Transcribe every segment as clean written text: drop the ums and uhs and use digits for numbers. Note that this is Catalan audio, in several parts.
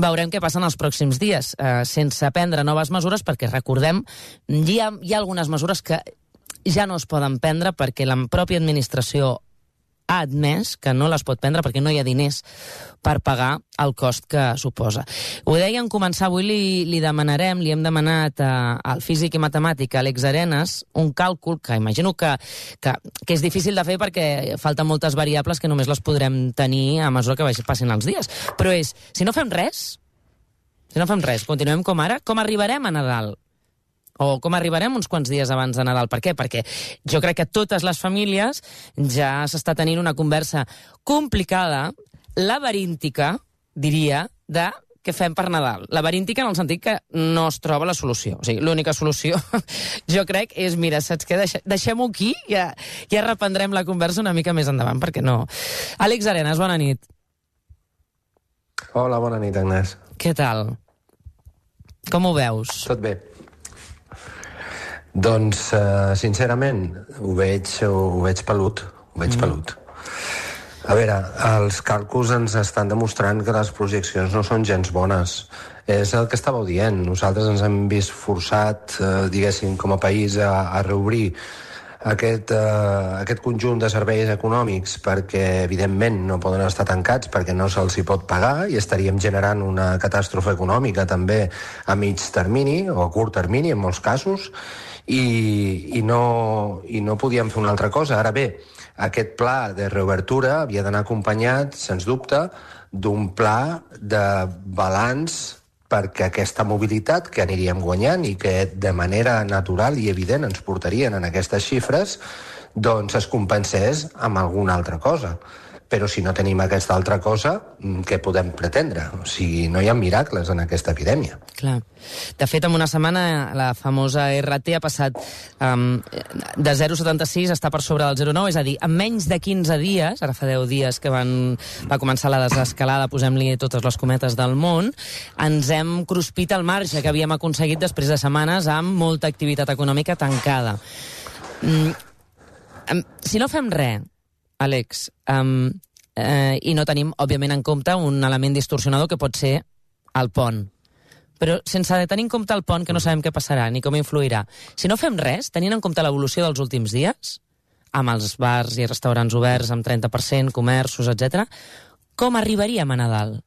Veurem què passa en els pròxims dies, sense prendre noves mesures, perquè recordem, hi ha algunes mesures que ja no es poden prendre perquè la pròpia administració ha admès que no les pot prendre perquè no hi ha diners per pagar el cost que suposa. Ho deia en començar, avui li demanarem, li hem demanat al físic i matemàtic Àlex Arenas un càlcul que imagino que és difícil de fer perquè falten moltes variables que només les podrem tenir a mesura que passin els dies. Però és, si no fem res, continuem com ara, com arribarem a Nadal? O com arribarem uns quants dies abans de Nadal? Per què? Perquè jo crec que totes les famílies ja s'està tenint una conversa complicada, laberíntica, diria, de què fem per Nadal. Laberíntica en el sentit que no es troba la solució. O sigui, l'única solució, jo crec, és, mira, saps què? Deixem-ho aquí, ja reprendrem la conversa una mica més endavant, perquè no. Àlex Arenas, bona nit. Hola, bona nit, Agnès. Què tal? Com ho veus? Tot bé. Doncs, sincerament, ho veig pelut. Pelut. A veure, els càlculs ens estan demostrant que les projeccions no són gens bones. És el que estàveu dient. Nosaltres ens hem vist forçat, diguéssim, com a país a reobrir aquest conjunt de serveis econòmics perquè, evidentment, no poden estar tancats perquè no se'ls hi pot pagar i estaríem generant una catàstrofe econòmica també a mig termini o a curt termini, en molts casos, i no podíem fer una altra cosa. Ara bé, aquest pla de reobertura havia d'anar acompanyat, sens dubte, d'un pla de balanç perquè aquesta mobilitat que aniríem guanyant i que de manera natural i evident ens portarien en aquestes xifres, doncs es compensés amb alguna altra cosa. Però si no tenim aquesta altra cosa, què podem pretendre? O sigui, no hi ha miracles en aquesta epidèmia. Clar. De fet, en una setmana la famosa RT ha passat de 0,76 a estar per sobre del 0,9, és a dir, en menys de 15 dies, ara fa 10 dies que va començar la desescalada, posem-li totes les cometes del món, ens hem cruspit el marge que havíem aconseguit després de setmanes amb molta activitat econòmica tancada. Si no fem res, Àlex, i no tenim, òbviament, en compte un element distorsionador que pot ser el pont. Però sense tenir en compte el pont, que no sabem què passarà ni com influirà, si no fem res, tenint en compte l'evolució dels últims dies, amb els bars i restaurants oberts amb 30%, comerços, etc., com arribaríem a Nadal?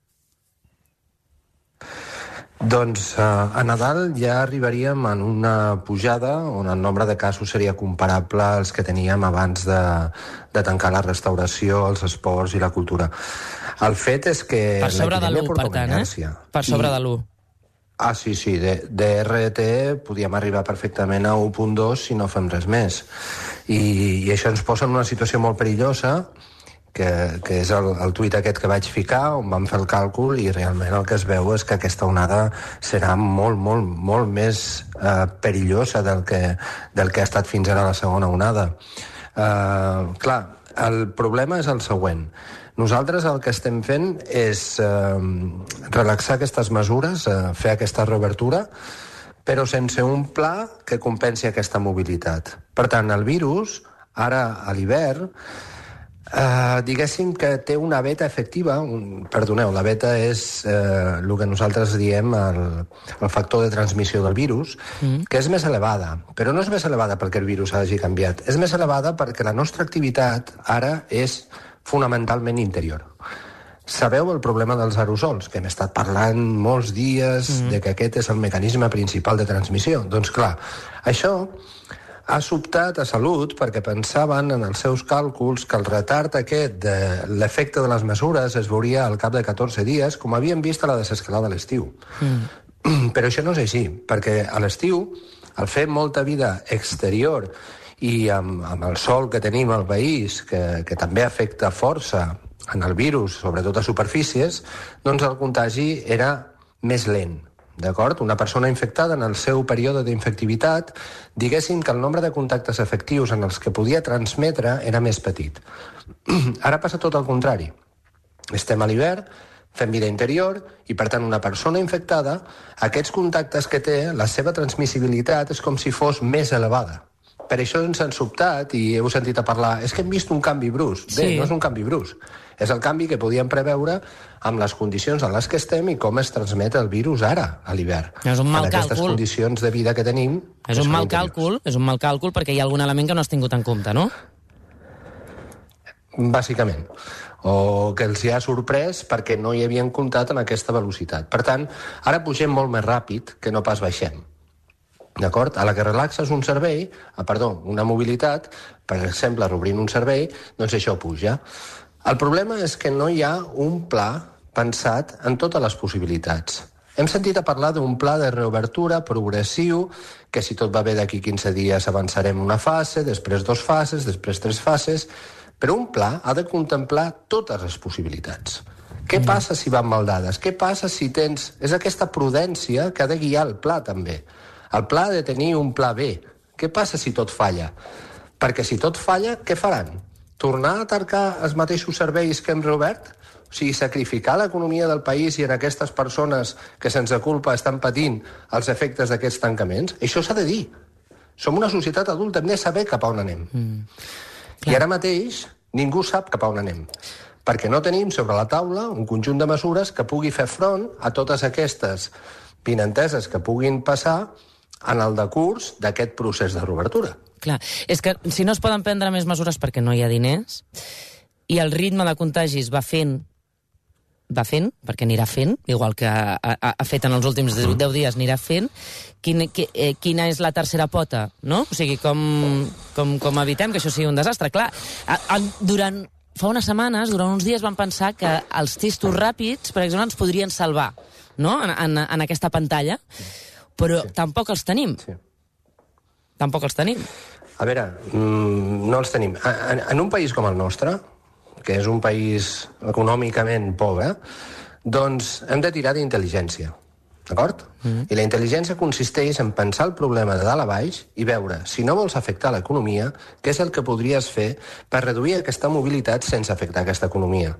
Doncs a Nadal ja arribaríem en una pujada on el nombre de casos seria comparable als que teníem abans de tancar la restauració, els esports i la cultura. El fet és que per sobre de l'1, per tant, Per sobre de l'1. Ah, sí, de RT podíem arribar perfectament a 1.2 si no fem res més. I això ens posa en una situació molt perillosa, que és el tuit aquest que vaig ficar, on vam fer el càlcul, i realment el que es veu és que aquesta onada serà molt, molt, molt més perillosa del que ha estat fins ara la segona onada. Clar, el problema és el següent. Nosaltres el que estem fent és relaxar aquestes mesures, fer aquesta reobertura, però sense un pla que compensi aquesta mobilitat. Per tant, el virus, ara a l'hivern, diguéssim que té una beta efectiva, la beta és el que nosaltres diem el factor de transmissió del virus, que és més elevada, però no és més elevada perquè el virus hagi canviat, és més elevada perquè la nostra activitat ara és fonamentalment interior. Sabeu el problema dels aerosols, que hem estat parlant molts dies de que aquest és el mecanisme principal de transmissió. Doncs clar, això ha sobtat a Salut perquè pensaven en els seus càlculs que el retard aquest de l'efecte de les mesures es veuria al cap de 14 dies, com havíem vist a la desescalada a l'estiu. Però això no és així, perquè a l'estiu, al fer molta vida exterior i amb el sol que tenim al país, que també afecta força en el virus, sobretot a superfícies, doncs el contagi era més lent. D'acord? Una persona infectada en el seu període d'infectivitat, diguéssim que el nombre de contactes efectius en els que podia transmetre era més petit. Ara passa tot el contrari. Estem a l'hivern, fem vida interior, i per tant una persona infectada, aquests contactes que té, la seva transmissibilitat és com si fos més elevada. Per això ens han sobtat i heu sentit a parlar, és que hem vist un canvi brusc. Bé, no és un canvi brusc. És el canvi que podíem preveure amb les condicions en les que estem i com es transmet el virus ara, a l'hivern. És un mal en aquestes càlcul. Condicions de vida que tenim... És un mal càlcul perquè hi ha algun element que no has tingut en compte, no? Bàsicament. O que els hi ha sorprès perquè no hi havien comptat amb aquesta velocitat. Per tant, ara pugem molt més ràpid que no pas baixem. D'acord? A la que relaxes un servei, una mobilitat, per exemple, reobrint un servei, doncs això puja. El problema és que no hi ha un pla pensat en totes les possibilitats. Hem sentit a parlar d'un pla de reobertura progressiu, que si tot va bé d'aquí 15 dies avançarem una fase, després 2 fases, després 3 fases, però un pla ha de contemplar totes les possibilitats. Què passa si van mal dades? Què passa si tens... És aquesta prudència que ha de guiar el pla, també. El pla ha de tenir un pla B. Què passa si tot falla? Perquè si tot falla, què faran? Tornar a tancar els mateixos serveis que hem reobert? O sigui, sacrificar l'economia del país i en aquestes persones que sense culpa estan patint els efectes d'aquests tancaments? Això s'ha de dir. Som una societat adulta, hem de saber cap a on anem. I ara mateix ningú sap cap a on anem, perquè no tenim sobre la taula un conjunt de mesures que pugui fer front a totes aquestes vinenteses que puguin passar en el decurs d'aquest procés de reobertura. Clar, és que si no es poden prendre més mesures perquè no hi ha diners i el ritme de contagis va fent, perquè anirà fent, igual que ha fet en els últims 10 dies, anirà fent, quina és la tercera pota, no? O sigui, com evitem que això sigui un desastre? Clar, fa unes setmanes, durant uns dies, vam pensar que els testos ràpids, per exemple, ens podrien salvar, no?, en aquesta pantalla, però tampoc els tenim. Tampoc els tenim. A veure, no els tenim. En un país com el nostre, que és un país econòmicament pobre, doncs hem de tirar d'intel·ligència, d'acord? I la intel·ligència consisteix en pensar el problema de dalt a baix i veure, si no vols afectar l'economia, què és el que podries fer per reduir aquesta mobilitat sense afectar aquesta economia.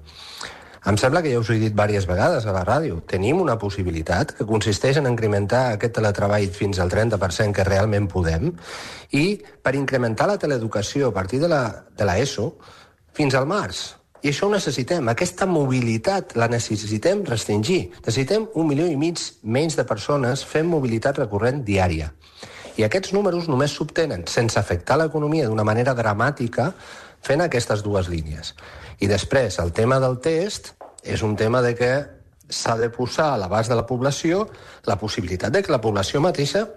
Em sembla que ja us ho he dit diverses vegades a la ràdio. Tenim una possibilitat que consisteix en incrementar aquest teletreball fins al 30% que realment podem i per incrementar la teleeducació a partir de l'ESO fins al març. I això ho necessitem. Aquesta mobilitat la necessitem restringir. Necessitem 1,5 milió menys de persones fent mobilitat recurrent diària. I aquests números només s'obtenen sense afectar l'economia d'una manera dramàtica fent aquestes dues línies. I després, el tema del test és un tema de que s'ha de posar a l'abast de la població la possibilitat de que la població mateixa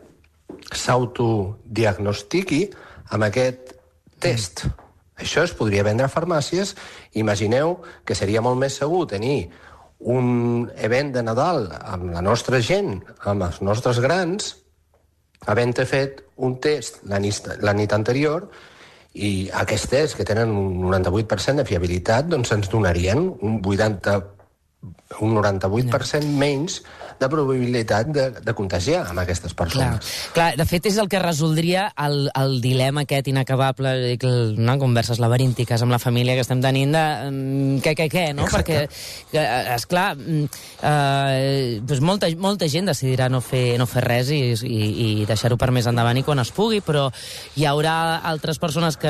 s'autodiagnostiqui amb aquest test. Això es podria vendre a farmàcies. Imagineu que seria molt més segur tenir un event de Nadal amb la nostra gent, amb els nostres grans, havent fet un test la nit anterior, i aquests tests, que tenen un 98% de fiabilitat, doncs ens donarien un 98% menys de probabilitat de contagiar amb aquestes persones. Clar, de fet és el que resoldria el dilema aquest inacabable, converses laberíntiques amb la família que estem tenint de què, no? Exacte. Perquè, esclar, doncs molta gent decidirà no fer res i deixar-ho per més endavant i quan es pugui, però hi haurà altres persones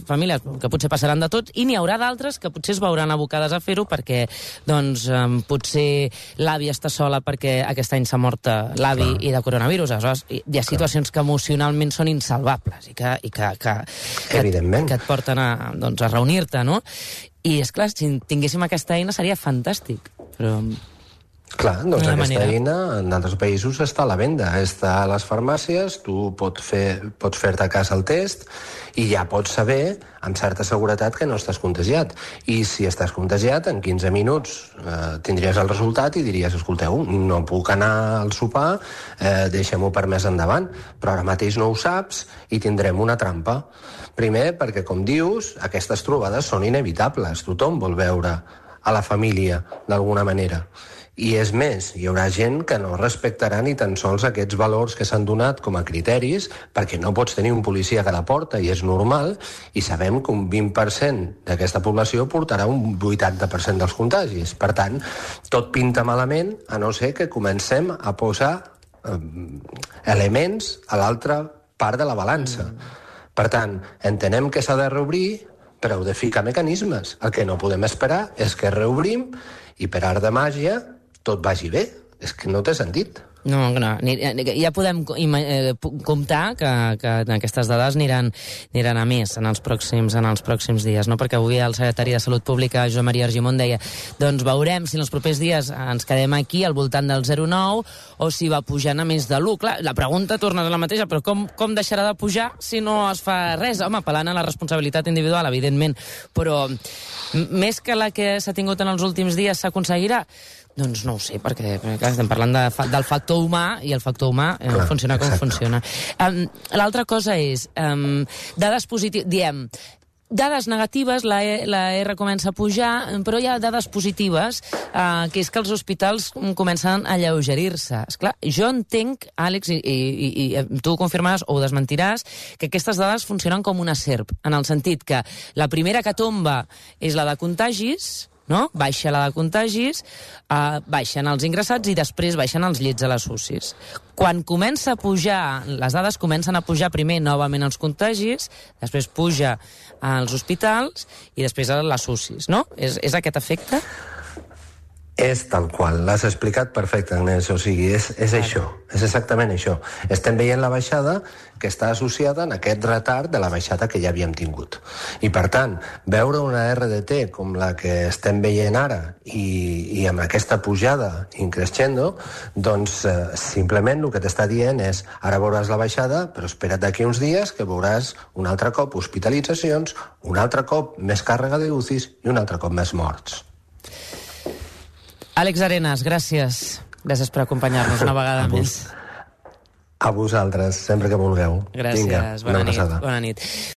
famílies que potser passaran de tot i n'hi haurà d'altres que potser es veuran abocades a fer-ho perquè, doncs, potser l'avi està sola perquè aquest any s'ha mort l'avi i de coronavirus. Aleshores, hi ha situacions que emocionalment són insalvables i que et porten a reunir-te, no? I, esclar, si tinguéssim aquesta eina seria fantàstic, però... Clar, doncs aquesta eina en altres països està a la venda, està a les farmàcies, tu pots fer-te a casa el test i ja pots saber amb certa seguretat que no estàs contagiat. I si estàs contagiat, en 15 minuts tindries el resultat i diries, escolteu, no puc anar al sopar, deixem-ho per més endavant, però ara mateix no ho saps i tindrem una trampa. Primer, perquè, com dius, aquestes trobades són inevitables, tothom vol veure a la família d'alguna manera. I és més, hi haurà gent que no respectarà ni tan sols aquests valors que s'han donat com a criteris, perquè no pots tenir un policia a cada porta, i és normal, i sabem que un 20% d'aquesta població portarà un 80% dels contagis. Per tant, tot pinta malament, a no ser que comencem a posar elements a l'altra part de la balança. Per tant, entenem que s'ha de reobrir, però heu de ficar mecanismes. El que no podem esperar és que reobrim i per art de màgia tot vagi bé. És que no té sentit. No, ja podem comptar que aquestes dades aniran a més en els pròxims dies, no? Perquè avui el secretari de Salut Pública, Joan Maria Argimon, deia doncs veurem si en els propers dies ens quedem aquí al voltant del 0,9 o si va pujant a més de l'1. Clar, la pregunta torna a la mateixa, però com deixarà de pujar si no es fa res? Home, apel·lant a la responsabilitat individual, evidentment, però més que la que s'ha tingut en els últims dies s'aconseguirà? Doncs no ho sé, perquè estem parlant del factor humà, i el factor humà funciona com funciona. L'altra cosa és, dades positives, diem, dades negatives, la R comença a pujar, però hi ha dades positives, que és que els hospitals comencen a alleugerir-se. Esclar, jo entenc, Àlex, i tu ho confirmaràs o ho desmentiràs, que aquestes dades funcionen com una serp, en el sentit que la primera que tomba és la de contagis, no? Baixa la de contagis, baixen els ingressats i després baixen els llits a les UCIs. Quan comença a pujar, les dades comencen a pujar primer novament els contagis, després puja als hospitals i després a les UCIs, no? És aquest efecte? És tal qual, l'has explicat perfecte, Agnès, o sigui, és això, és exactament això. Estem veient la baixada que està associada en aquest retard de la baixada que ja havíem tingut. I, per tant, veure una RDT com la que estem veient ara i amb aquesta pujada increscendo, doncs simplement el que t'està dient és ara veuràs la baixada, però espera't d'aquí uns dies que veuràs un altre cop hospitalitzacions, un altre cop més càrrega de UCIs i un altre cop més morts. Àlex Arenas, gràcies. Gràcies per acompanyar-nos una vegada més. A vosaltres, sempre que vulgueu. Gràcies, Vinga, bona nit.